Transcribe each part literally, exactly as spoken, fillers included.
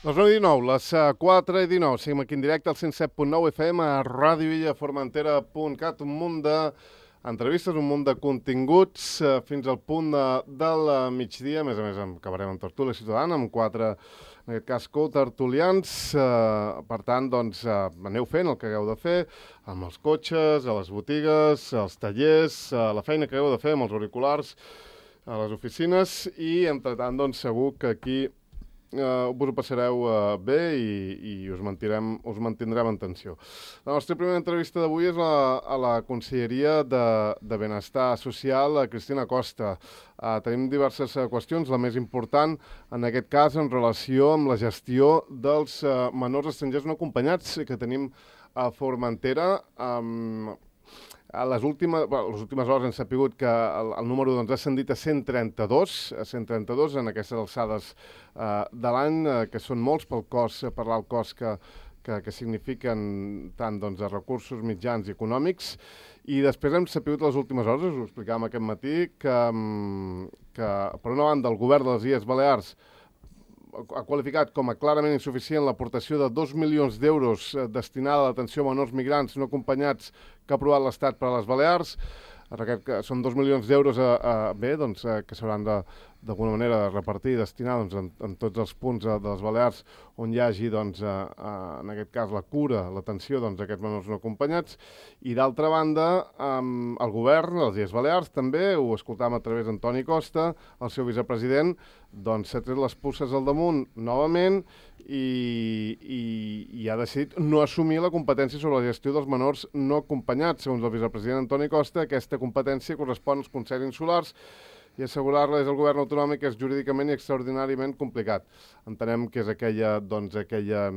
Les nou i dinou, les quatre i dinou, seguim aquí en directe al cent set punt nou F M a ràdio illa formentera punt cat, un munt d'entrevistes, un munt de continguts, eh, fins al punt de, del migdia. A més a més, acabarem amb Tertúlia Ciutadana, amb quatre, en aquest cas, co-tertulians. Eh, per tant, doncs, eh, aneu fent el que hagueu de fer, amb els cotxes, a les botigues, als tallers, a la feina que hagueu de fer, amb els auriculars, a les oficines, i, entretant, doncs, segur que aquí Uh, us ho passareu uh, bé i, i us, mantindrem, us mantindrem en tensió. La nostra primera entrevista d'avui és la, a la Conselleria de, de Benestar Social, a Cristina Costa. Uh, tenim diverses uh, qüestions, la més important, en aquest cas, en relació amb la gestió dels uh, menors estrangers no acompanyats que tenim a Formentera. Um, A les últimes, bueno, les últimes hores hem sapigut que el, el número doncs, ha ascendit a cent trenta-dos, a cent trenta-dos en aquestes alçades eh, de l'any, eh, que són molts pel cos, per l'alt cost que, que, que signifiquen tant doncs, de recursos mitjans i econòmics. I després hem sapigut les últimes hores, us ho explicàvem aquest matí, que, que per una banda el govern de les Illes Balears ha qualificat com a clarament insuficient l'aportació de dos milions d'euros eh, destinada a l'atenció a menors migrants no acompanyats que ha aprovat l'Estat per a les Balears. Aquest, són dos milions d'euros a, a, bé, doncs, a, que s'hauran d'alguna manera de repartir i destinar doncs, en, en tots els punts a, de les Balears on hi hagi, doncs, a, a, en aquest cas, la cura, l'atenció doncs, d'aquests menors no acompanyats. I d'altra banda, um, el govern, les Illes Balears, també, ho escoltàvem a través d'Antoni Costa, el seu vicepresident, doncs s'ha tret les puces al damunt novament i, i, i ha decidit no assumir la competència sobre la gestió dels menors no acompanyats. Segons el vicepresident Antoni Costa, aquesta competència correspon als consells insulars i assegurar-la des del govern autonòmic és jurídicament i extraordinàriament complicat. Entenem que és aquella, doncs, aquella,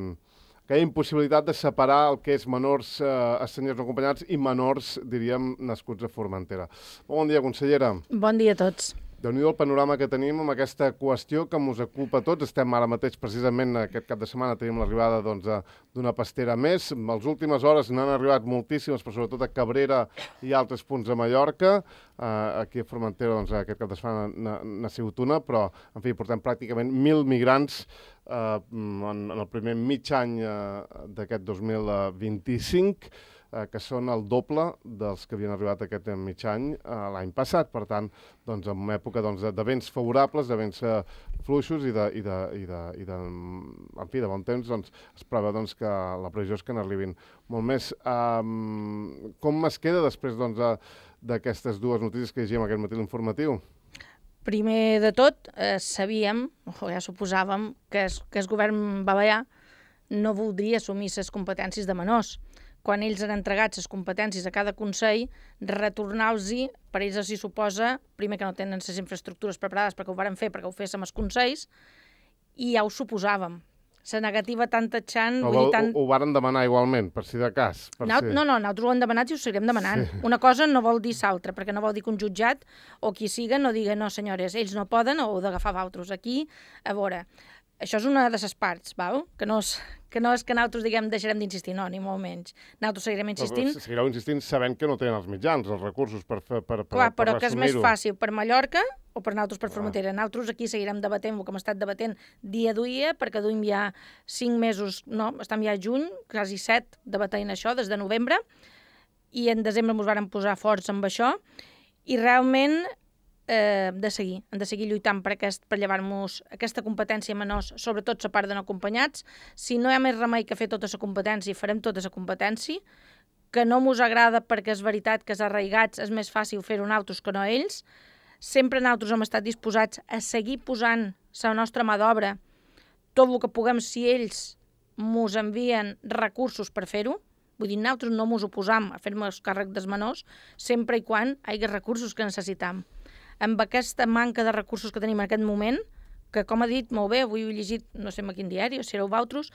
aquella impossibilitat de separar el que és menors eh, estrangers no acompanyats i menors, diríem, nascuts a Formentera. Bon dia, consellera. Bon dia a tots. Déu-n'hi-do el panorama que tenim amb aquesta qüestió que ens ocupa a tots. Estem ara mateix, precisament, aquest cap de setmana, tenim l'arribada doncs, d'una pastera més. En les últimes hores n'han arribat moltíssimes, però sobretot a Cabrera i altres punts de Mallorca. Uh, aquí a Formentera, doncs, aquest cap de setmana n'ha sigut una, però, en fi, portem pràcticament mil migrants uh, en, en el primer mig any uh, d'aquest dos mil vint-i-cinc, Eh, que són el doble dels que havien arribat aquest mig any eh, l'any passat. Per tant, doncs, en una època doncs, de, de vents favorables, de vents eh, fluixos i, de, i, de, i, de, i de, en fi, de bon temps, doncs, es preveu doncs, que la previsió és que n'arribin molt més. Um, com es queda després doncs, d'aquestes dues notícies que llegíem aquest matí l'informatiu? Primer de tot, eh, sabíem, o ja suposàvem, que el que el govern balear no voldria assumir les competències de menors. Quan ells han entregat les competències a cada consell, retornar-los-hi, per ells els hi suposa, primer que no tenen les infraestructures preparades perquè ho varen fer, perquè ho féssim els consells, i ja ho suposàvem. La negativa tan tatxant... No, vull dir, tant... Ho, ho varen demanar igualment, per si de cas. Per no, si... no, no, nosaltres ho hem demanat i ho seguirem demanant. Sí. Una cosa no vol dir l'altra, perquè no vol dir que un jutjat o qui siga no digui, no senyores, ells no poden o heu d'agafar d'altres. Aquí, a veure... Això és una de les parts, val? Que, no és, que no és que nosaltres diguem deixarem d'insistir, no, ni molt menys. Nosaltres seguirem insistint. Però seguireu insistint sabent que no tenen els mitjans, els recursos per, per, per, Clar, per però que és més fàcil per Mallorca o per nosaltres per Clar. Formentera. Nosaltres aquí seguirem debatent el que hem estat debatent dia a dia, perquè duim ja cinc mesos, no, estem ja a juny, quasi set, debatent això des de novembre, i en desembre ens vàrem posar forts amb això, i realment... Eh, de seguir, hem de seguir lluitant per, aquest, per llevar-nos aquesta competència a menors, sobretot la part de no acompanyats. Si no hi ha més remei que fer tota la competència, farem tota la competència, que no mos agrada perquè és veritat que els arraigats és més fàcil fer-ho nosaltres que no ells. Sempre nosaltres hem estat disposats a seguir posant la nostra mà d'obra, tot el que puguem si ells mos envien recursos per fer-ho. Vull dir, nosaltres no mos oposam a fer-nos càrrec dels menors, sempre i quan hi hagi recursos que necessitam. Amb aquesta manca de recursos que tenim en aquest moment, que com ha dit molt bé, avui he llegit, no sé en quin diari, o si éreu vosaltres,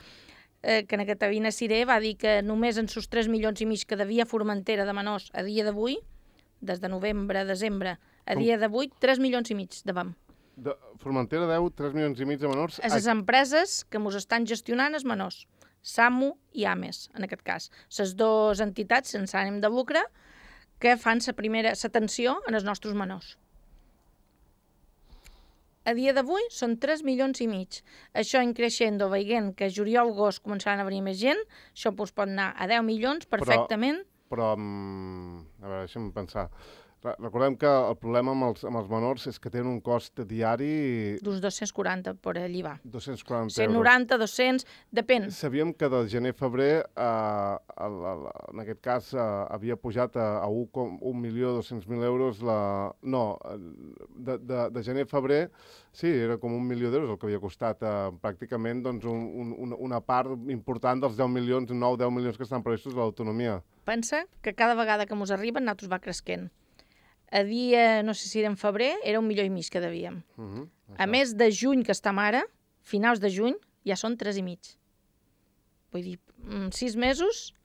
eh, que en aquesta Vina Ciré va dir que només en sos tres milions i mig que devia Formentera de menors a dia d'avui, des de novembre a desembre, a dia d'avui, tres milions i mig devem. De Formentera deu tres milions i mig de menors... A les empreses que ens estan gestionant els menors, SAMU i AMES, en aquest cas. Les dues entitats sense ànim de lucre que fan la primera l'atenció en els nostres menors. A dia d'avui són tres milions i mig. Això en creixendo, veient que juliol-agost començaran a venir més gent, això pues, pot anar a deu milions perfectament. Però, però a veure, deixa'm pensar. Recordem que el problema amb els, amb els menors és que tenen un cost diari... D'uns dos-cents quaranta, per allí va. dos-cents quaranta euros. cent noranta, dos-cents, depèn. Sabíem que de gener a febrer, eh, el, el, en aquest cas, eh, havia pujat a, a un milió dos-cents mil euros la... No, de, de, de gener a febrer, sí, era com un milió d'euros el que havia costat eh, pràcticament doncs, un, un, una part important dels deu milions, nou deu milions que estan previstos de l'autonomia. Pensa que cada vegada que mos arriben, nosaltres va cresquent. A dia, no sé si era en febrer, era un milió i mig que devíem. Uh -huh, a més de juny, que estem ara, finals de juny, ja són tres i mig. Vull dir, sis mesos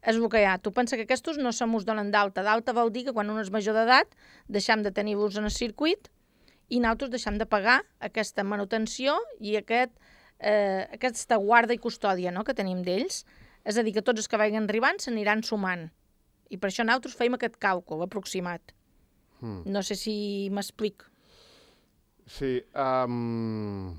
és el que hi ha. Tu pensa que aquests no se mos donen d'alta. D'alta vol dir que quan un és major d'edat deixem de tenir-vos en el circuit i nosaltres deixem de pagar aquesta manutenció i aquest, eh, aquesta guarda i custòdia, no?, que tenim d'ells. És a dir, que tots els que vagin arribant s'aniran sumant. I per això nosaltres feim aquest càlcul aproximat. Hmm. No sé si m'explic. Sí. Um...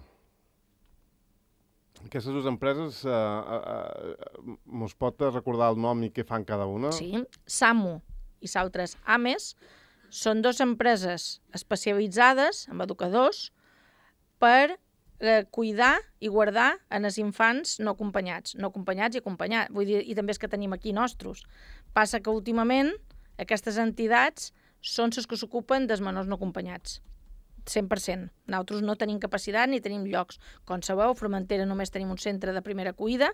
Aquestes dues empreses, uh, uh, uh, mos pot recordar el nom i què fan cada una? Sí. SAMU i s'altres AMES són dues empreses especialitzades en educadors per eh, cuidar i guardar en els infants no acompanyats. No acompanyats i acompanyats. Vull dir, i també és que tenim aquí nostres. Passa que últimament aquestes entitats són les que s'ocupen dels menors no acompanyats. cent per cent. Nosaltres no tenim capacitat ni tenim llocs. Com sabeu, a Formentera només tenim un centre de primera acollida,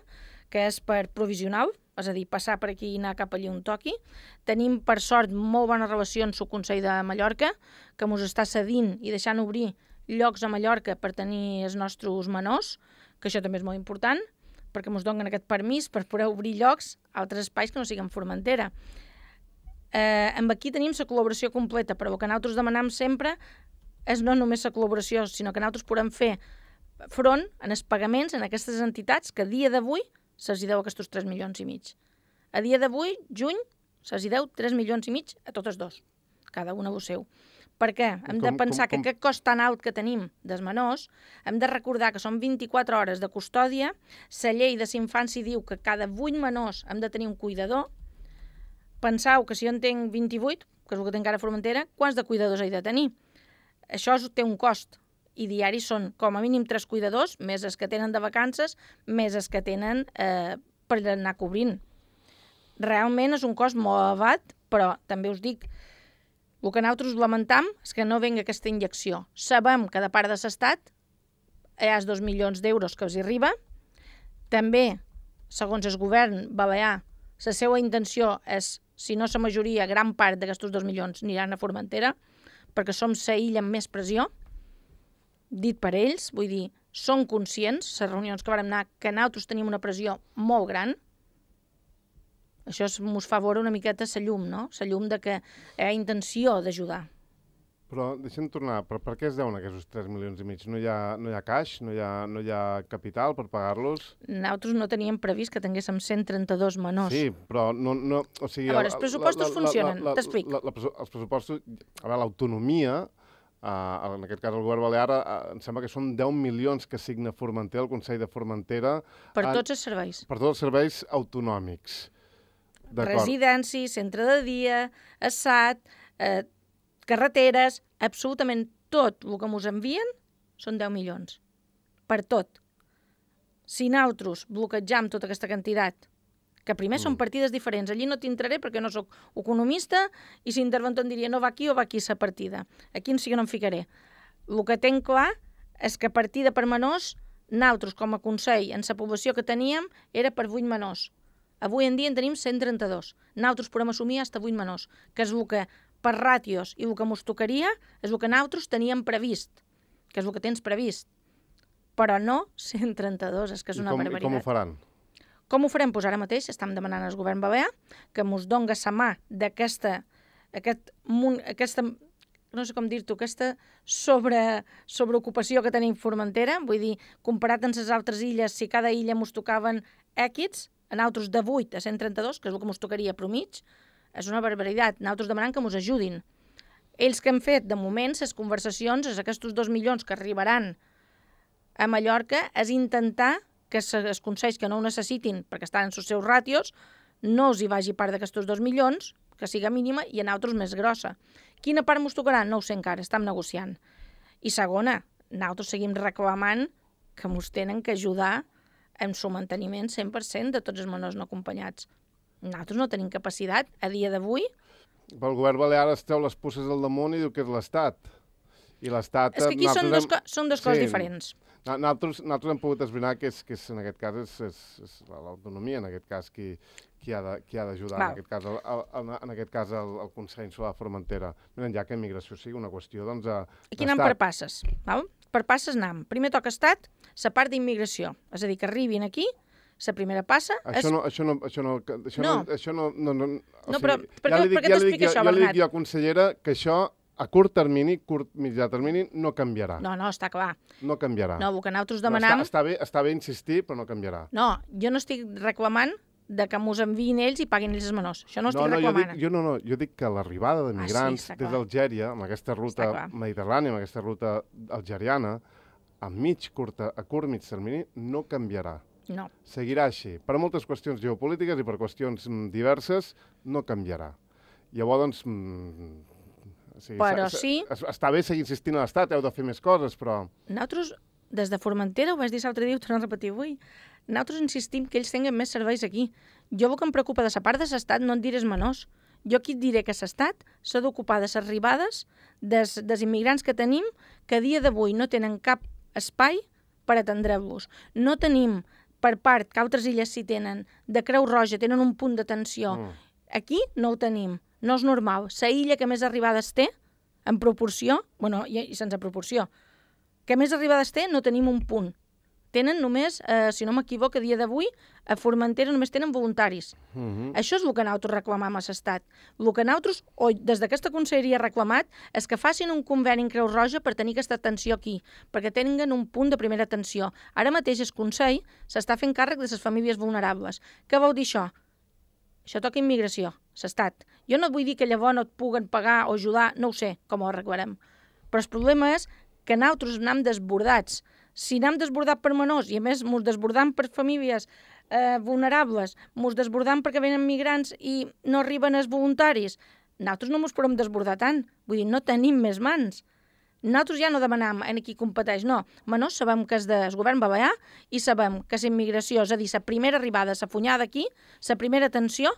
que és per provisional, és a dir, passar per aquí i anar cap allí on toqui. Tenim, per sort, molt bones relacions amb el Consell de Mallorca, que ens està cedint i deixant obrir llocs a Mallorca per tenir els nostres menors, que això també és molt important, perquè ens donen aquest permís per poder obrir llocs a altres espais que no siguin Formentera. Eh, amb aquí tenim la col·laboració completa, però el que nosaltres demanem sempre és no només la col·laboració, sinó que nosaltres podem fer front en els pagaments en aquestes entitats que a dia d'avui se'ls deu aquests tres milions i mig. A dia d'avui, juny, se'ls deu tres milions i mig a totes dos, cada una ho seu. Per què? Hem de pensar que aquest cost tan alt que tenim dels menors, hem de recordar que són vint-i-quatre hores de custòdia, la llei de la infància diu que cada vuit menors hem de tenir un cuidador. Penseu que si jo en tinc vint-i-vuit, que és el que tinc ara a Formentera, quants de cuidadors he de tenir? Això té un cost, i diaris són com a mínim tres cuidadors, més els que tenen de vacances, més els que tenen eh, per anar cobrint. Realment és un cost molt elevat, però també us dic, el que nosaltres lamentam és que no vengui aquesta injecció. Sabem que de part de l'Estat hi ha dos milions d'euros que els arriba. També, segons el govern balear, la seva intenció és, si no la majoria, gran part d'aquests dos milions aniran a Formentera, perquè som la illa amb més pressió, dit per ells, vull dir, són conscients, les reunions que vam anar, que nosaltres tenim una pressió molt gran. Això ens fa veure una miqueta la llum, no? La llum de que hi ha intenció d'ajudar. Però deixem tornar, per, per què es deuen aquests tres milions i mig? No hi ha, no hi ha caix? No hi ha, no hi ha capital per pagar-los? Nosaltres no teníem previst que tinguéssim cent trenta-dos menors. Sí, però no... no o sigui, a veure, els pressupostos la, la, funcionen, t'explic. Els pressupostos, a veure, l'autonomia, uh, en aquest cas el govern balear, uh, em sembla que són deu milions que signa Formentera, el Consell de Formentera... Per en, tots els serveis. Per tots els serveis autonòmics. Residència, centre de dia, assat, eh, carreteres, absolutament tot el que ens envien són deu milions. Per tot. Si nosaltres bloquejam tota aquesta quantitat, que primer mm. són partides diferents, allí no t'entraré perquè no sóc economista i si interventor em diria no va aquí o va aquí la partida. Aquí sí que no em ficaré. El que tenc clar és que partida per menors, nosaltres com a Consell, en la població que teníem, era per vuit menors. Avui en dia en tenim cent trenta-dos. Nosaltres podem assumir fins a vuit menors, que és el que per ràtios i el que ens tocaria és el que nosaltres teníem previst, que és el que tens previst. Però no cent trenta-dos, és que és una com, barbaritat. I com ho faran? Com ho farem? Doncs ara mateix estem demanant al govern balear que ens doni la mà d'aquesta, aquest, aquesta, no sé com dir-t'ho, aquesta sobre, sobreocupació que tenim Formentera. Vull dir, comparat amb les altres illes, si cada illa ens tocaven èquits, a nosaltres de vuit a cent trenta-dos, que és el que ens tocaria per mig, és una barbaritat. Nosaltres demanant que ens ajudin. Ells que han fet, de moment, les conversacions, aquests dos milions que arribaran a Mallorca, és intentar que els consells que no ho necessitin, perquè estan en els seus ràtios, no els hi vagi part d'aquests dos milions, que siga mínima, i a nosaltres més grossa. Quina part mos tocarà? No ho sé encara, estem negociant. I segona, nosaltres seguim reclamant que mos tenen que ajudar en el manteniment cent per cent de tots els menors no acompanyats. Nosaltres no tenim capacitat, a dia d'avui. Però el govern balear es treu les pusses al damunt i diu que és l'Estat. I l'Estat... És que aquí són, hem... dos, co són dos coses sí. diferents. Nosaltres, nosaltres hem pogut esbrinar que, és, que és, en aquest cas és, és, és l'autonomia, en aquest cas, qui, qui ha d'ajudar, en aquest cas, el, el, en aquest cas el, el Consell Insular de Formentera. Miren, ja que immigració sigui una qüestió, doncs... Aquí anem per passes, val? Per passes anem. Primer toca Estat, la part d'immigració. És a dir, que arribin aquí, la primera passa... Això és... no... Això no, això no, això no. no, això no, no, no, o no però sigui, per, ja què, dic, per què ja t'explica això, jo, Bernat? Ja li dic jo, consellera, que això a curt termini, curt mitjà termini, no canviarà. No, no, està clar. No canviarà. No, el que nosaltres demanam... No, està, està, bé, està bé insistir, però no canviarà. No, jo no estic reclamant de que mos enviïn ells i paguin ells els menors. Això no, no estic no, reclamant. Jo, dic, jo no, no, jo dic que l'arribada d'immigrants ah, sí, des d'Algèria, amb aquesta ruta mediterrània, amb aquesta ruta algeriana, a mig curta, a curt mig termini, no canviarà. No. Seguirà així. Per moltes qüestions geopolítiques i per qüestions diverses, no canviarà. Llavors, doncs... O sigui, però sí... Està bé seguir insistint a l'Estat, heu de fer més coses, però... Nosaltres, des de Formentera, ho vaig dir l'altre dia, ho torno a repetir avui, nosaltres insistim que ells tinguin més serveis aquí. Jo el que em preocupa de la part de l'Estat no en diré els menors. Jo aquí et diré que l'Estat s'ha d'ocupar de les arribades des, dels immigrants que tenim, que a dia d'avui no tenen cap espai per atendre-los. No tenim, per part, que altres illes sí tenen, de Creu Roja, tenen un punt d'atenció. Mm. Aquí no ho tenim. No és normal. La illa que més arribades té, en proporció, bueno, i, i sense proporció, que més arribades té, no tenim un punt. Tenen només, eh, si no m'equivoco, a dia d'avui, a Formentera només tenen voluntaris. Mm-hmm. Això és el que nosaltres reclamam a l'Estat. El que nosaltres, o des d'aquesta conselleria reclamat, és que facin un conveni en Creu Roja per tenir aquesta atenció aquí, perquè tinguin un punt de primera atenció. Ara mateix el Consell s'està fent càrrec de les famílies vulnerables. Què vol dir això? Això toca immigració, l'Estat. Jo no vull dir que llavors no et puguen pagar o ajudar, no ho sé com ho arreglarem. Però el problema és que nosaltres anem desbordats. Si anem desbordat per menors i a més mos desbordam per famílies eh, vulnerables, mos desbordam perquè venen migrants i no arriben els voluntaris, nosaltres no mos podem desbordar tant. Vull dir, no tenim més mans. Nosaltres ja no demanam en qui competeix, no. Menors sabem que és del govern balear i sabem que la immigració, és a dir, la primera arribada, la funyada aquí, la primera atenció,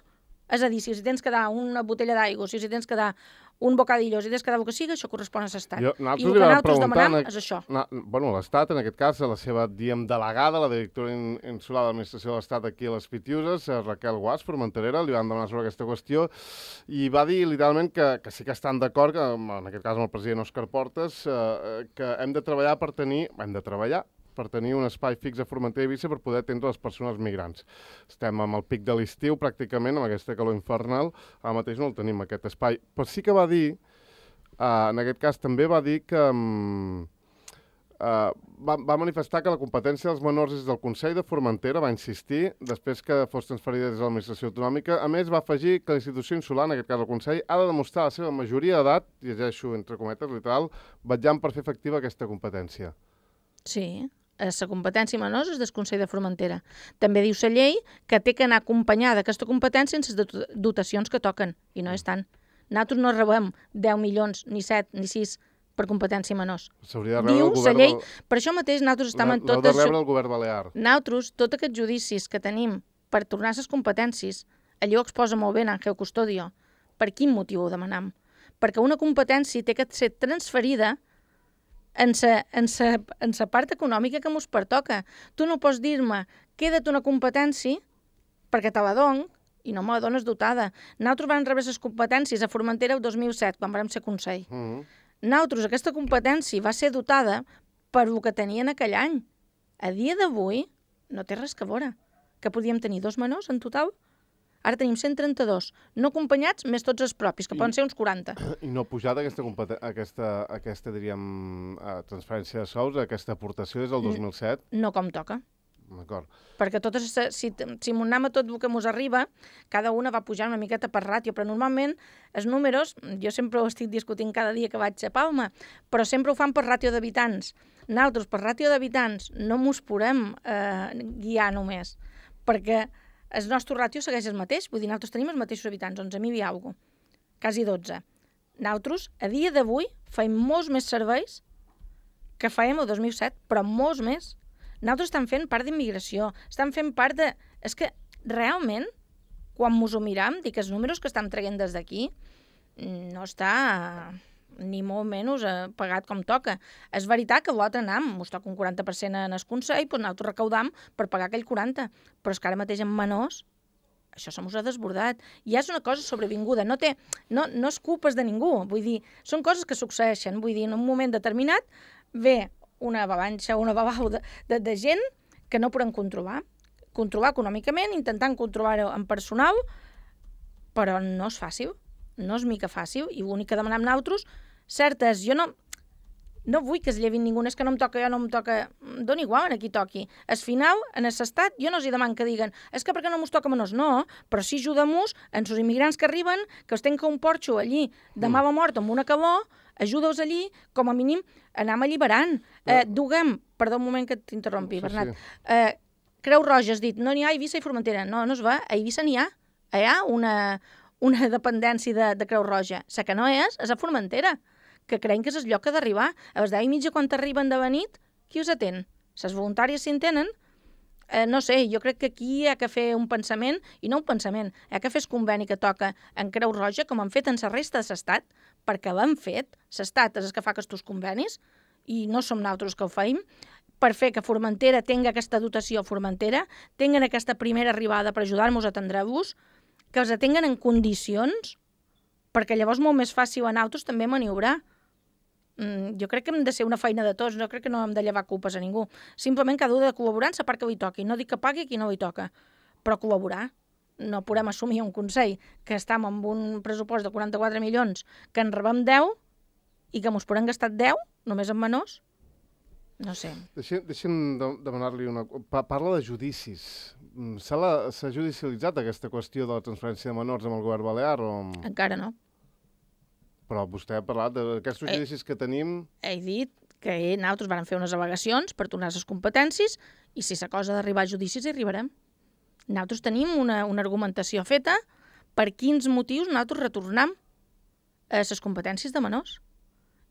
és a dir, si tens que dar una botella d'aigua, si tens que dar un bocadillo, si tens que dar el que sigui, això correspon a l'Estat. I el que nosaltres demanem és això. Na, bueno, l'Estat, en aquest cas, la seva, diem, delegada, la directora insular de l'administració de l'Estat aquí a les Pitiuses, Raquel Guas, formenterera, li van demanar sobre aquesta qüestió i va dir literalment que, que sí que estan d'acord, que en aquest cas amb el president Òscar Portes, eh, que hem de treballar per tenir, hem de treballar per tenir un espai fix a Formentera i Eivissa per poder atendre les persones migrants. Estem amb el pic de l'estiu, pràcticament, amb aquesta calor infernal, ara mateix no el tenim, aquest espai. Però sí que va dir, uh, en aquest cas també va dir que... Um, uh, va, va manifestar que la competència dels menors és del Consell de Formentera, va insistir, després que fos transferida des de l'administració autonòmica. A més, va afegir que la institució insular, en aquest cas el Consell, ha de demostrar la seva majoria d'edat, llegeixo entre cometes, literal, vetllant per fer efectiva aquesta competència. Sí. La competència menors és del Consell de Formentera. També diu la llei que té que anar acompanyada aquesta competència en les dotacions que toquen, i no és tant. Nosaltres no rebem deu milions, ni set, ni sis per competència menors. S'hauria de rebre el govern... Llei, per això mateix nosaltres estem en tot... L'heu de rebre el govern balear. Nosaltres, tots aquests judicis que tenim per tornar les competències, allò exposa molt bé en Àngel Custodio. Per quin motiu ho demanam? Perquè una competència té que ser transferida en sa, en sa, en sa part econòmica que mos pertoca. Tu no pots dir-me, queda't una competència perquè te la dono i no me la dones dotada. Nosaltres vam rebre les competències a Formentera el dos mil set, quan vam ser Consell. Mm-hmm. Nosaltres, aquesta competència va ser dotada per el que tenien aquell any. A dia d'avui no té res que veure. Que podíem tenir dos menors en total? Ara tenim cent trenta-dos, no acompanyats, més tots els propis, que I, poden ser uns quaranta. I no ha pujat aquesta, aquesta, aquesta diríem, transferència de sous, aquesta aportació des del dos mil set? No com toca. D'acord. Perquè totes, si, si m'ho anem a tot el que mos arriba, cada una va pujar una miqueta per ràtio, però normalment els números, jo sempre ho estic discutint cada dia que vaig a Palma, però sempre ho fan per ràtio d'habitants. Nosaltres, per ràtio d'habitants, no mos podem eh, guiar només, perquè el nostre ràtio segueix el mateix, vull dir, nosaltres tenim els mateixos habitants, onze mil i alguna cosa, quasi dotze. Nosaltres, a dia d'avui, fem molts més serveis que fèiem el dos mil set, però molts més. Nosaltres estem fent part d'immigració, estem fent part de... És que, realment, quan mos ho miram, dic que els números que estem traient des d'aquí no està ni molt menys eh, pagat com toca. És veritat que l'altre anam, mos toca un quaranta per cent en el Consell, doncs nosaltres recaudam per pagar aquell quaranta, però és que ara mateix en menors això se mos ha desbordat. Ja és una cosa sobrevinguda, no, té, no, no és culpes de ningú, vull dir, són coses que succeeixen, vull dir, en un moment determinat ve una avalanxa, una babau de, de, de gent que no podem controlar. Controlar econòmicament, intentant controlar-ho en personal, però no és fàcil, no és mica fàcil, i l'únic que demanem nosaltres, certes, jo no, no vull que es llevin ningú, és que no em toca, jo no em toca, dona igual a qui toqui. Al final, en l'estat, jo no els deman que diguen, és que perquè no mos toca menors, no, però sí ajudem-nos en els immigrants que arriben, que els tenen que un porxo allí de mala mort amb una calor, ajuda-los allí, com a mínim, anem alliberant. Eh, duguem, perdó un moment que t'interrompi, sí, Bernat, sí. Eh, Creu Roja has dit, no n'hi ha a Eivissa i Formentera. No, no es va, a Eivissa n'hi ha. Hi ha una, una dependència de, de Creu Roja. La que no és, és a Formentera, que creiem que és el lloc que ha d'arribar. A les deu i mitja, quan t'arriben de nit, qui us atén? Les voluntàries si en tenen? Eh, no sé, jo crec que aquí hi ha que fer un pensament, i no un pensament, hi ha que fer el conveni que toca en Creu Roja, com han fet en la resta de l'estat, perquè l'han fet, l'estat és el que fa aquests convenis, i no som nosaltres que ho feim, per fer que Formentera tingui aquesta dotació a Formentera, tinguen aquesta primera arribada per ajudar-nos a atendre-vos, que els atenguen en condicions, perquè llavors molt més fàcil a nosaltres també maniobrar. Mm, jo crec que hem de ser una feina de tots, no crec que no hem de llevar culpes a ningú. Simplement cada un de col·laborar en la part que li toqui. No dic que pagui a qui no li toca, però col·laborar. No podem assumir un Consell que estem amb un pressupost de quaranta-quatre milions, que en rebem deu i que mos podem gastar deu, només en menors. No sé. Deixem, deixem de, demanar-li una... Pa, parla de judicis. S'ha judicialitzat aquesta qüestió de la transferència de menors amb el govern balear? O... Encara no. Però vostè ha parlat d'aquests judicis que tenim... He dit que nosaltres vam fer unes al·legacions per tornar les competències i si la cosa d'arribar a judicis hi arribarem. Nosaltres tenim una, una argumentació feta per quins motius nosaltres retornem a les competències de menors.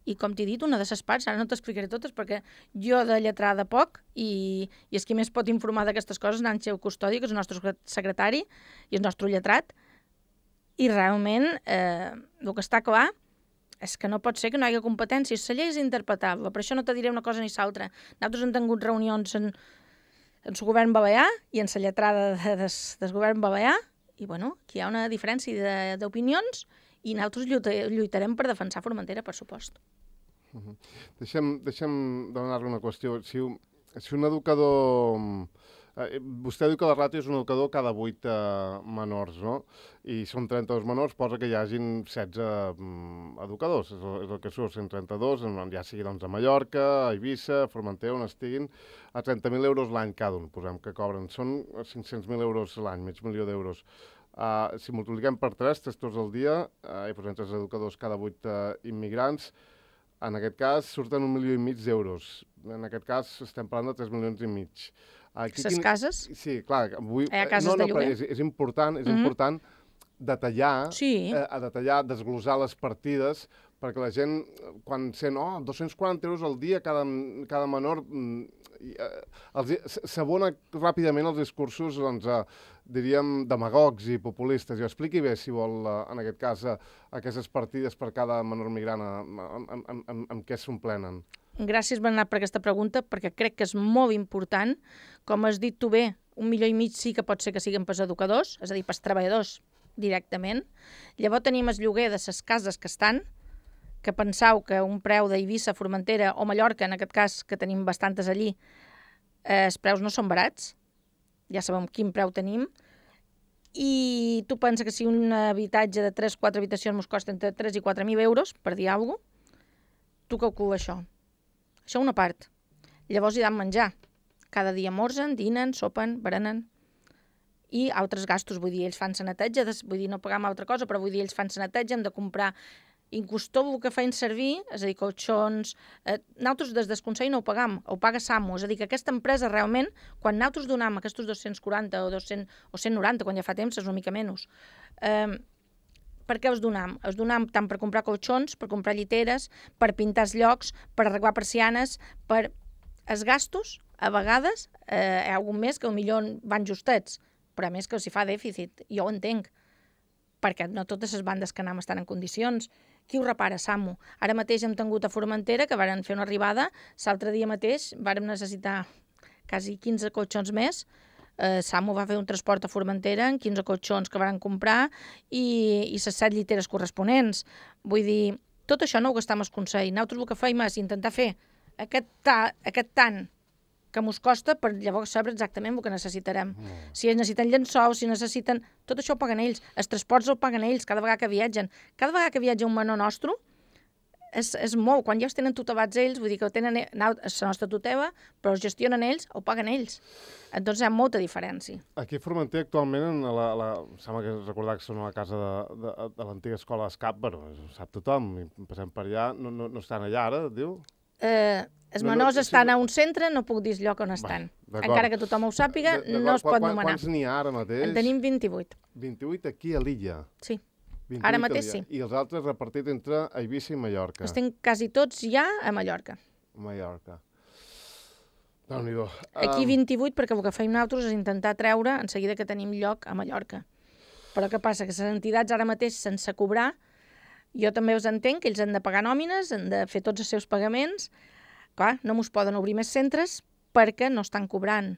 I com t'he dit, una de les parts, ara no t'explicaré totes perquè jo de lletrada poc i, i és qui més pot informar d'aquestes coses, Nanxeu Custodi, que és el nostre secretari i el nostre lletrat, i realment eh, el que està clar és que no pot ser que no hi hagi competències. La llei és interpretable, per això no te diré una cosa ni l'altra. Nosaltres hem tingut reunions en, en el govern balear i en la lletrada de, de, del govern balear, i bueno, aquí hi ha una diferència d'opinions i nosaltres lluitarem per defensar Formentera, per supost. Uh -huh. Deixem, deixem demanar-li una qüestió. Si, si un educador... Eh, vostè diu que la ràtio és un educador cada vuit eh, menors, no? I són trenta-dos menors, posa que hi hagin setze mm, educadors. És el, és el que surt, cent trenta-dos, ja sigui doncs, a Mallorca, a Eivissa, a Formentera, on estiguin, a trenta mil euros l'any cada un, posem que cobren. Són cinc-cents mil euros l'any, mig milió d'euros. Uh, si multipliquem per tres, tres tots al dia, uh, i posem tres educadors cada vuit uh, immigrants, en aquest cas surten un milió i mig d'euros. En aquest cas estem parlant de tres milions i mig. Aquí, les quin... cases? Sí, clar. Vull... Hi ha cases no, no, de lloguer? És, és important, és mm-hmm. important detallar, sí. eh, a detallar, desglosar les partides, perquè la gent, quan sent, oh, dos-cents quaranta euros al dia cada, cada menor, eh, s'abona ràpidament els discursos, doncs, eh, diríem, demagogs i populistes. Jo expliqui bé, si vol, eh, en aquest cas, eh, aquestes partides per cada menor migrant, amb, amb, amb, amb què s'omplenen. Gràcies, Bernat, per aquesta pregunta, perquè crec que és molt important. Com has dit tu bé, un milió i mig sí que pot ser que siguin pels educadors, és a dir, pels treballadors directament. Llavors tenim el lloguer de les cases que estan, que penseu que un preu d'Eivissa, Formentera o Mallorca, en aquest cas, que tenim bastantes allí, eh, els preus no són barats, ja sabem quin preu tenim, i tu pensa que si un habitatge de tres o quatre habitacions ens costa entre tres i quatre mil euros, per dir alguna cosa, tu calcula això. Això una part. Llavors hi ha de menjar. cada dia morsen, dinen, sopen, berenen, i altres gastos, vull dir, ells fan sa neteja, vull dir, no pagam altra cosa, però vull dir, ells fan sa neteja, hem de comprar, inclús tot el que feien servir, és a dir, colxons, eh, nosaltres des del Consell no ho pagam, ho paga SAMU, és a dir, que aquesta empresa realment, quan nosaltres donam aquests dos-cents quaranta o dos-cents o cent noranta, quan ja fa temps, és una mica menys, eh, per què els donam? Els donam tant per comprar colxons, per comprar lliteres, per pintar els llocs, per arreglar persianes, per els gastos, a vegades, eh, hi ha algun mes que potser van justets, però a més que s'hi fa dèficit, jo ho entenc, perquè no totes les bandes que anem estan en condicions. Qui ho repara? SAMU. Ara mateix hem tingut a Formentera, que varen fer una arribada, l'altre dia mateix vàrem necessitar quasi quinze colxons més, eh, SAMU va fer un transport a Formentera en quinze colxons que varen comprar i, i les set lliteres corresponents. Vull dir, tot això no ho gastam al Consell. Nosaltres el que feim és intentar fer aquest, ta, aquest tant que mos costa per llavors saber exactament el que necessitarem. Mm. Si ells necessiten llençols, si necessiten... Tot això ho paguen ells. Els transports ho paguen ells cada vegada que viatgen. Cada vegada que viatja un menor nostre és, és molt. Quan ja els tenen tutelats ells, vull dir que ho tenen la nostra tutela, però els gestionen ells, ho paguen ells. Doncs hi ha molta diferència. Aquí a Formentera actualment, a la, la, sembla que recordar que són a la casa de, de, de l'antiga escola d'escap, però ho sap tothom, i passem per allà, no, no, no estan allà ara, diu? Eh... Els menors no, no, estan sí, a un centre, no puc dir el lloc on estan. Va, encara que tothom ho sàpiga, no es pot nomenar. Quants n'hi ha ara mateix? En tenim vint-i-vuit. vint-i-vuit aquí a l'illa? Sí, ara mateix sí. I els altres repartits entre Eivissa i Mallorca? Els tinc quasi tots ja a Mallorca. Mallorca. Déu-n'hi-do. Aquí vint-i-vuit, perquè el que feim nosaltres és intentar treure en seguida que tenim lloc a Mallorca. Però què passa? Que les entitats ara mateix, sense cobrar, jo també us entenc que ells han de pagar nòmines, han de fer tots els seus pagaments. Clar, no mos poden obrir més centres perquè no estan cobrant.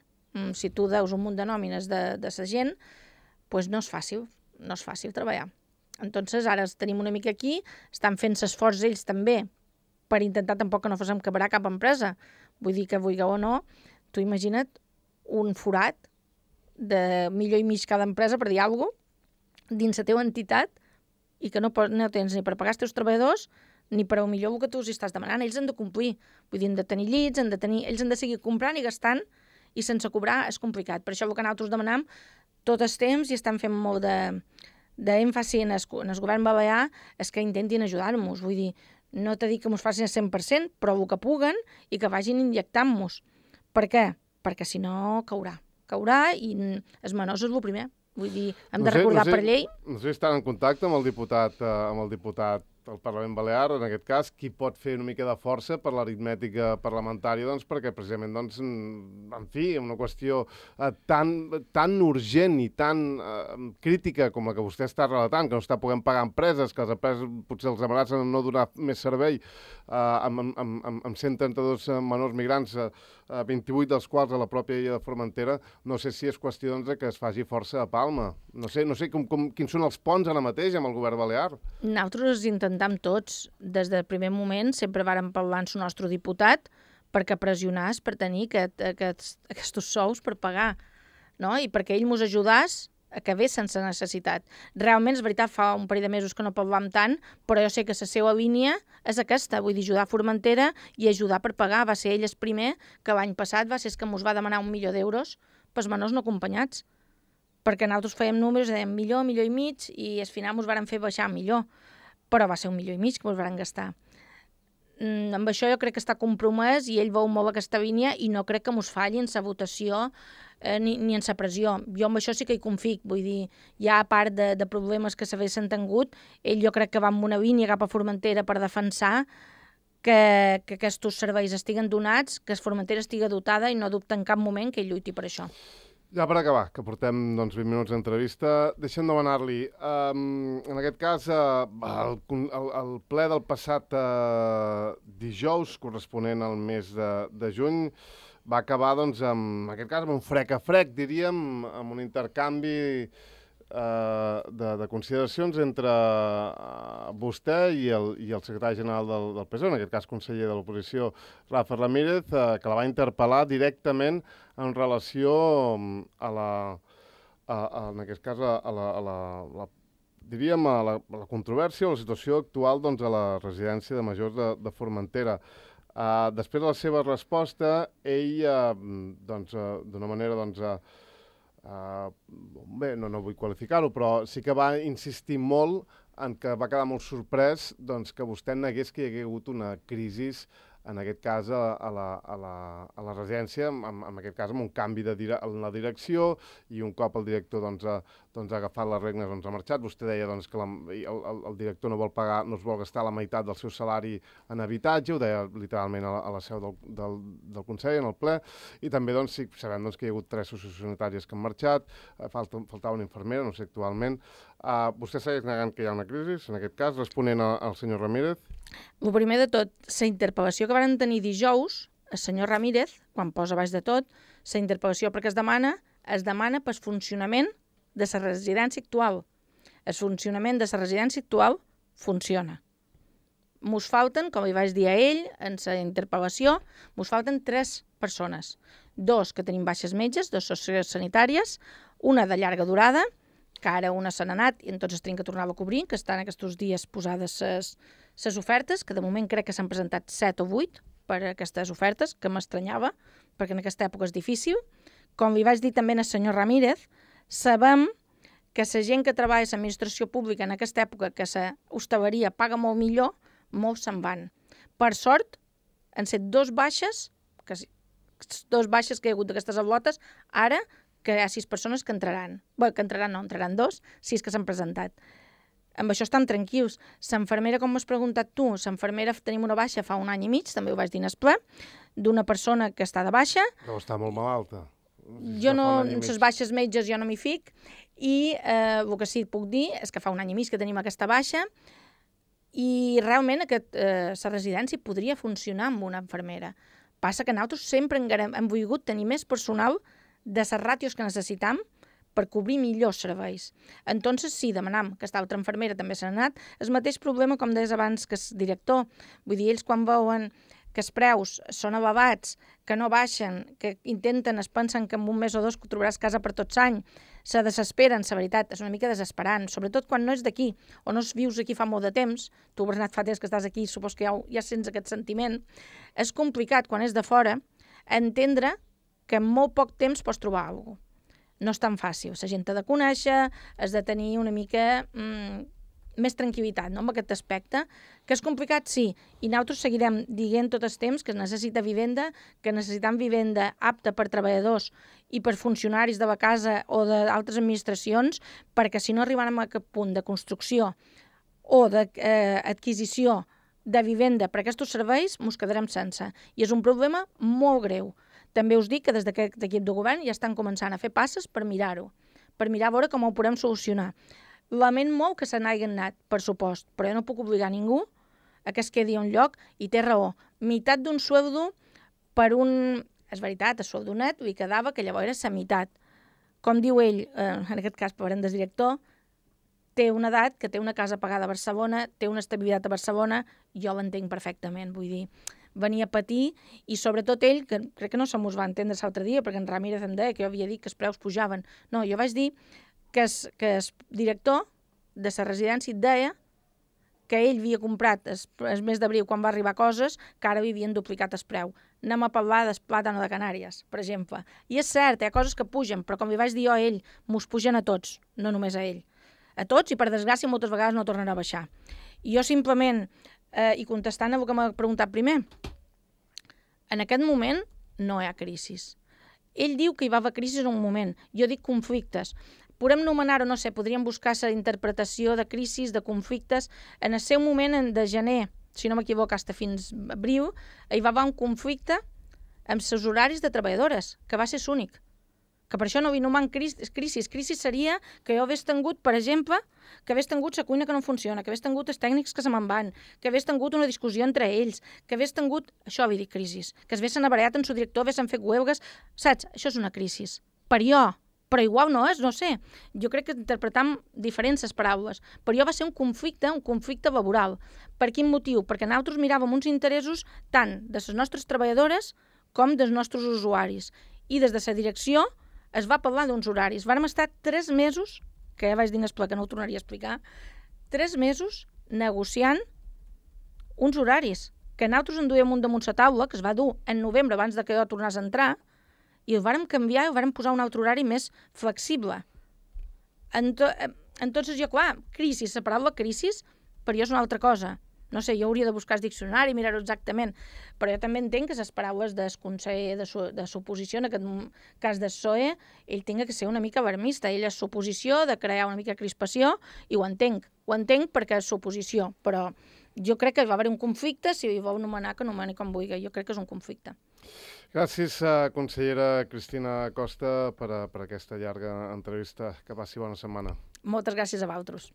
Si tu deus un munt de nòmines de, de sa gent, doncs no és fàcil, no és fàcil treballar. Entonces, ara els tenim una mica aquí, estan fent l'esforç ells també per intentar tampoc que no fosem quebrar cap empresa. Vull dir que, vulgueu o no, tu imagina't un forat de milió i mig cada empresa, per dir alguna cosa, dins la teva entitat i que no, no tens ni per pagar els teus treballadors ni per a millor el que tu els estàs demanant. Ells han de complir. Vull dir, han de tenir llits, han de tenir... ells han de seguir comprant i gastant, i sense cobrar és complicat. Per això el que nosaltres demanam tot el temps i estan fent molt d'èmfasi en, en el govern balear és que intentin ajudar-nos. Vull dir, no t'he dit que mos facin el cent per cent, però el que puguen i que vagin injectant-nos. Per què? Perquè si no caurà. Caurà i els menors és el primer. Vull dir, hem no de sé, recordar no sé, per llei... No sé si estan en contacte amb el diputat, eh, amb el diputat del Parlament Balear, en aquest cas, qui pot fer una mica de força per l'aritmètica parlamentària, doncs, perquè precisament, doncs, en fi, una qüestió eh, tan, tan urgent i tan eh, crítica com la que vostè està relatant, que no està podent pagar empreses, que les empreses potser els amenacen a no donar més servei, eh, amb, amb, amb, amb cent trenta-dos menors migrants, eh, vint-i-vuit dels quals a la pròpia illa de Formentera, no sé si és qüestió doncs, que es faci força a Palma. No sé, no sé com, com, quins són els ponts ara mateix amb el govern balear. Nosaltres intentem tots, des del primer moment, sempre vàrem parlar amb el nostre diputat perquè pressionàs per tenir aquest, aquests, aquests sous per pagar, no? I perquè ell mos ajudàs a que ve sense necessitat. Realment, és veritat, fa un parell de mesos que no parlam tant, però jo sé que la seva línia és aquesta, vull dir, ajudar a Formentera i ajudar per pagar. Va ser ell el primer que l'any passat va ser que mos va demanar un milió d'euros pels menors no acompanyats, perquè nosaltres fèiem números, dèiem milió, milió i mig, i al final mos varen fer baixar millor, però va ser un milió i mig que mos varen gastar. Mm, amb això jo crec que està compromès i ell veu molt aquesta línia i no crec que mos falli en la votació eh, ni, ni en la pressió. Jo amb això sí que hi confic, vull dir, ja a part de, de problemes que s'haguessin tingut, ell jo crec que va amb una línia cap a Formentera per defensar que, que aquests serveis estiguen donats, que Formentera estigui dotada i no dubta en cap moment que ell lluiti per això. Ja per acabar, que portem doncs, vint minuts d'entrevista, deixem demanar-li, um, en aquest cas, uh, el, el, el ple del passat uh, dijous, corresponent al mes de, de juny, va acabar, doncs, amb, en aquest cas, amb un frec a frec, diríem, amb un intercanvi uh, de, de consideracions entre uh, vostè i el, i el secretari general del, del P S O E, en aquest cas conseller de l'oposició, Rafa Ramírez, uh, que la va interpel·lar directament en relació a la, a, a, en aquest cas, a la, a la, la diríem, a la, a la controvèrsia o la situació actual doncs, a la residència de majors de, de Formentera. Uh, després de la seva resposta, ell, uh, doncs, uh, d'una manera, doncs, uh, uh, bé, no, no vull qualificar-ho, però sí que va insistir molt en que va quedar molt sorprès doncs, que vostè negués que hi hagués hagut una crisi, en aquest cas, a, a, la, a, la, a la residència, en, en aquest cas amb un canvi de dire en la direcció, i un cop el director doncs, ha, doncs, ha agafat les regnes, doncs, ha marxat. Vostè deia doncs, que la, el, el, el director no vol pagar, no es vol gastar la meitat del seu salari en habitatge, ho deia literalment a la, a la seu del, del, del Consell, en el ple, i també doncs, sí, sabem doncs, que hi ha hagut tres sociosanitàries que han marxat, eh, falta, faltava una infermera, no sé actualment. Uh, vostè segueix negant que hi ha una crisi, en aquest cas, responent a, al senyor Ramírez? El primer de tot, la interpel·lació que van tenir dijous, el senyor Ramírez, quan posa baix de tot, la interpel·lació perquè es demana, es demana pel funcionament de la residència actual. El funcionament de la residència actual funciona. Mos falten, com li vaig dir a ell, en la interpel·lació, mos falten tres persones. Dos que tenim baixes metges, dos sociosanitàries, una de llarga durada, que ara una se n'ha anat i en tots es tenen que tornar a cobrir, que estan aquests dies posades les les ofertes, que de moment crec que s'han presentat set o vuit per a aquestes ofertes, que m'estranyava, perquè en aquesta època és difícil. Com li vaig dir també al senyor Ramírez, sabem que la gent que treballa a l'administració pública en aquesta època, que la hostaleria paga molt millor, molts se'n van. Per sort, han set dos baixes, que dos baixes que hi ha hagut d'aquestes avlotes, ara que hi ha sis persones que entraran. Bé, que entraran no, entraran dos, sis que s'han presentat. Amb això estan tranquils. L'enfermera, com m'has preguntat tu, l'enfermera tenim una baixa fa un any i mig, també ho vaig dir en el ple, d'una persona que està de baixa. Però està molt malalta. Jo no, en les baixes metges jo no m'hi fic, i eh, el que sí puc dir és que fa un any i mig que tenim aquesta baixa, i realment aquest, eh, la residència podria funcionar amb una infermera. Passa que nosaltres sempre hem, hem volgut tenir més personal de les ràtios que necessitam per cobrir millors serveis. Entonces, sí, demanam que aquesta altra infermera també s'ha anat. El mateix problema, com deies abans, que el director. Vull dir, ells quan veuen que els preus són elevats, que no baixen, que intenten, es pensen que en un mes o dos trobaràs casa per tots any, se desesperen, la veritat, és una mica desesperant, sobretot quan no és d'aquí, o no vius aquí fa molt de temps, tu, Bernat, fa temps que estàs aquí, supos que ja, ja sents aquest sentiment, és complicat, quan és de fora, entendre que en molt poc temps pots trobar alguna cosa. No és tan fàcil. La gent ha de conèixer, has de tenir una mica mm, més tranquil·litat, no?, amb aquest aspecte, que és complicat, sí, i nosaltres seguirem dient tot el temps que es necessita vivenda, que necessitem vivenda apta per treballadors i per funcionaris de la casa o d'altres administracions, perquè si no arribarem a aquest punt de construcció o d'adquisició de vivenda per a aquests serveis, ens quedarem sense. I és un problema molt greu. També us dic que des d'aquest equip de govern ja estan començant a fer passes per mirar-ho, per mirar a veure com ho podem solucionar. Lament molt que se n'hagin anat, per supost, però jo no puc obligar ningú a que es quedi a un lloc, i té raó. Meitat d'un sueldo per un... És veritat, el sueldo net li quedava que llavors era la meitat. Com diu ell, eh, en aquest cas parlem del director, té una edat, que té una casa pagada a Barcelona, té una estabilitat a Barcelona, jo l'entenc perfectament, vull dir, venia a patir, i sobretot ell, que crec que no se mos va entendre l'altre dia, perquè en Ramírez em deia que jo havia dit que els preus pujaven. No, jo vaig dir que el, que el director de la residència deia que ell havia comprat el, el mes d'abril, quan va arribar coses, que ara havien duplicat el preu. Anem a parlar del plàtano de Canàries, per exemple. I és cert, hi ha coses que pugen, però com li vaig dir jo a ell, mos pugen a tots, no només a ell. A tots, i per desgràcia moltes vegades no tornarà a baixar. I jo simplement, eh, i contestant a el que m'ha preguntat primer, en aquest moment no hi ha crisi. Ell diu que hi va haver crisi en un moment, jo dic conflictes. Podem nomenar-ho, no sé, podríem buscar la interpretació de crisis, de conflictes. En el seu moment, de gener, si no m'equivoco, fins fins abril, hi va haver un conflicte amb els horaris de treballadores, que va ser l'únic. Que per això no nomen crisis. Crisis seria que jo hagués tingut, per exemple, que hagués tingut la cuina que no funciona, que hagués tingut els tècnics que se me'n van, que hagués tingut una discussió entre ells, que hagués tingut... Això havia dit crisis. Que haguessin abarallat en su director, haguessin fet huelgues... Saps? Això és una crisis. Per jo. Però igual no és, no sé. Jo crec que interpretam diferents les paraules. Per jo va ser un conflicte, un conflicte laboral. Per quin motiu? Perquè nosaltres miràvem uns interessos tant de les nostres treballadores com dels nostres usuaris. I des de la direcció es va parlar d'uns horaris. Vàrem estar tres mesos, que ja vaig dir en el ple que no ho tornaria a explicar, tres mesos negociant uns horaris que nosaltres en duíem un damunt la taula, que es va dur en novembre abans de que jo tornés a entrar, i el vàrem canviar i el vàrem posar un altre horari més flexible. En to, entonces jo, clar, crisi, la paraula crisi, per jo és una altra cosa. No sé, jo hauria de buscar el diccionari, mirar-ho exactament, però jo també entenc que les paraules del conseller de, su, de suposició, en aquest cas del P S O E, ell tinga que ser una mica alarmista. Ell és suposició de crear una mica crispació, i ho entenc. Ho entenc perquè és suposició, però jo crec que va haver un conflicte, si ho vol anomenar, que anomeni com vulgui. Jo crec que és un conflicte. Gràcies, consellera Cristina Costa, per, per aquesta llarga entrevista. Que passi bona setmana. Moltes gràcies a vosaltres.